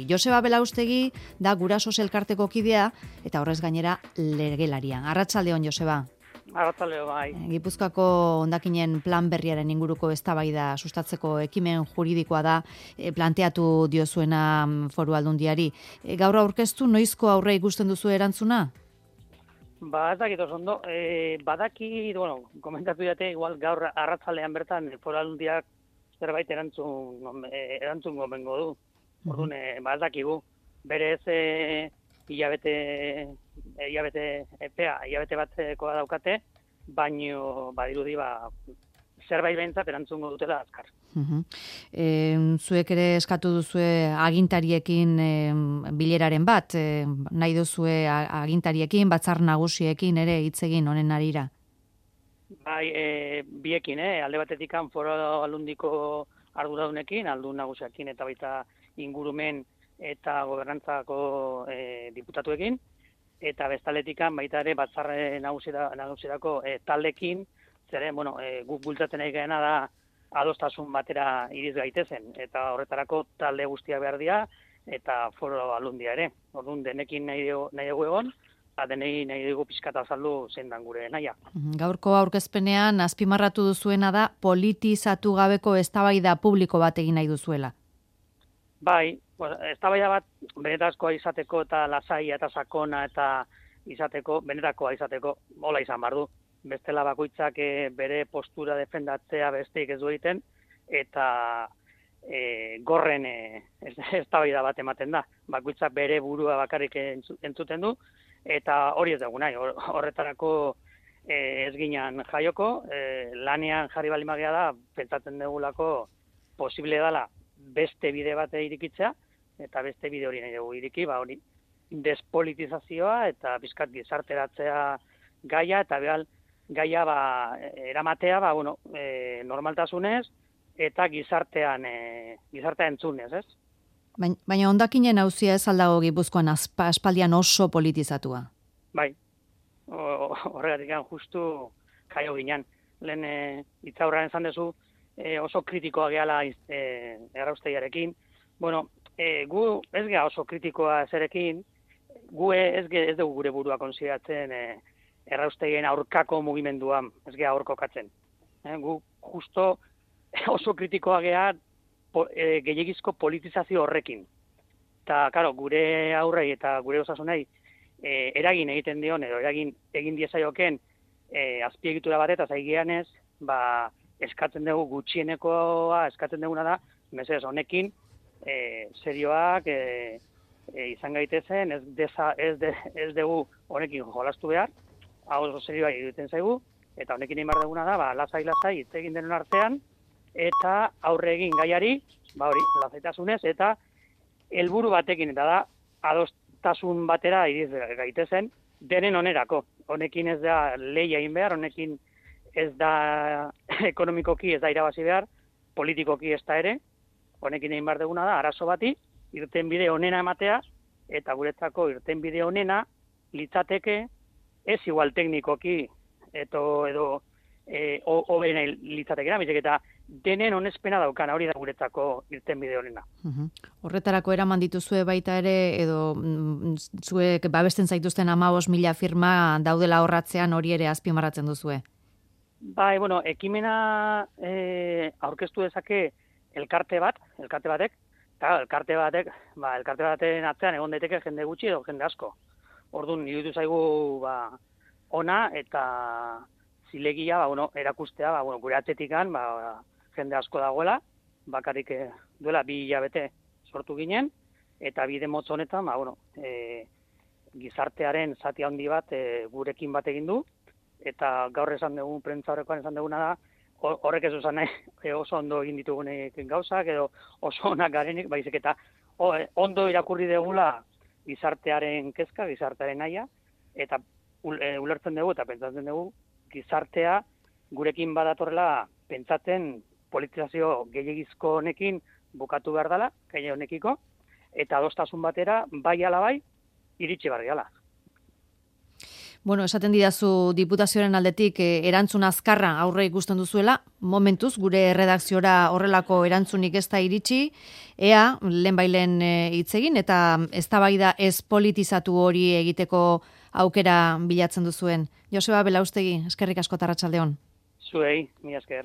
Joseba Belaustegi da Gurasos elkarteko kidea eta horrez gainera legelaria. Arratsaldeon, Joseba. Arratsaldeon, bai. Gipuzkoako hondakinen plan berriaren inguruko eztabaida sustatzeko ekimen juridikoa da planteatu diozuena Foru Aldundiari. Gaur aurkeztu noizko aurre ikusten duzu erantzuna? Ez dakit oso ondo. Badaki, komentatu dute igual gaur arratsaldean bertan Foru Aldundiak zerbait erantzun gomengo du. Orduan, ez dakigu. Berez hilabete batekoa daukate, baino badirudi zerbait behintzat erantzungo dutela azkar. Zuek ere eskatu duzue agintariekin bileraren bat, nahi duzue agintariekin, batzar nagusiekin ere hitz egin honen harira? Bai, biekin, alde batetik Foru Aldundiko arduradunekin, aldun nagusiakin eta baita ingurumen eta gobernantzako diputatuekin, eta bestaletikan baita ere batzar nagusierako taldekin, zeren, guk bultzatzen nahi gaena da adostasun batera iriz gaitezen, eta horretarako talde guztia behar dira, eta Foru Aldundia ere. Orduan, denekin nahi dugu egon, denei nahi dugu pixkata azaldu zein dan gure nahia. Gaurko aurkezpenean azpimarratu duzuena da politizatu gabeko eztabaida publiko bat egin nahi duzuela. Bai, eztabaida bat benetakoa izateko eta lasaia eta sakona eta benetakoa izateko hola izan behar du. Bestela bakoitzak bere postura defendatzea besteik ez du egiten eta gorren eztabaida bat ematen da. Bakoitzak bere burua bakarrik entzuten du eta hori ez dugu nahi. Horretarako ez ginen jaioko, lanean jarri balimagea da, pentsatzen dugulako posible dela beste bide bat irikitzea, eta beste bide hori nahi dugu iriki, hori despolitizazioa eta bizkat gizarteratzea gaia, eta gaia eramatea normaltasunez eta gizartean entzunez, ez? Baina hondakinen auzia ez aldago Gipuzkoan aspaldian oso politizatua. Bai, horregatik justu jaio ginen. Lehen hitzaurrean esan duzu, oso kritikoa gehala erraustegiarekin. Gu ez geha oso kritikoa zerekin, gu ez dugu gure burua konsideratzen erraustegien aurkako mugimenduan, ez geha hor kokatzen. Gu justo oso kritikoa geha gehiagizko politizazio horrekin. Eta, karo, gure aurrei eta gure osasunei eragin egiten dion, edo eragin egin diezaioken azpiegitura bat eta zaigianez, eskatzen dugu gutxienekoa, eskatzen duguna da, mesedez honekin, serioak izan gaitezen, ez dugu honekin jolastu behar, hau oso serioa egiten zaigu, eta honekin egin behar duguna da, lasai hitz egin denon artean, eta aurre egin gaiari, lasaitasunez, eta helburu batekin, eta da, adostasun batera iriz gaitezen, denen onerako. Honekin ez da lehia egin behar, honekin ez da ekonomikoki ez da irabazi behar, politikoki ez da ere, honekin egin behar duguna da, arazo bati, irtenbide onena ematea, eta guretzako irtenbide onena litzateke, ez igual teknikoki, edo hobena litzatekera, bizek eta denen onespena daukana, hori da guretzako irtenbide onena. Horretarako eraman dituzue baita ere, edo zuek babesten zaituzten 15.000 firma daudela horratzean hori ere azpimarratzen duzue? Bai, ekimena aurkeztu dezake elkarte batek, eta elkarte baten atzean egon daiteke jende gutxi edo jende asko. Orduan, iruditu zaigu ona eta zilegia erakustea, gure atetikan jende asko dagoela, bakarrik duela 2 hilabete sortu ginen, eta bide motz honetan, gizartearen zati handi bat gurekin bat egin du, eta gaur esan dugu, prentza horrekoan esan duguna da, horrek ez usan nahi oso ondo egin ditugunek gauzak, edo oso onak garenik, baizik eta ondo irakurri dugula gizartearen kezka, gizartearen naia, eta ulertzen dugu eta pentsatzen dugu, gizartea gurekin badatorrela pentsatzen politizazio gehiagizko honekin bukatu behar dela, gai honekiko, eta adostasun batera, bai ala bai, iritsi behar dela. Bueno, esaten didazu diputazioaren aldetik erantzun azkarra aurre ikusten duzuela, momentuz gure erredakziora horrelako erantzunik ez da iritsi, ea lehenbailen hitz egin eta eztabaida ez politizatu hori egiteko aukera bilatzen duzuen. Joseba Belaustegi, eskerrik asko eta arratsalde on. Zuei, mila esker.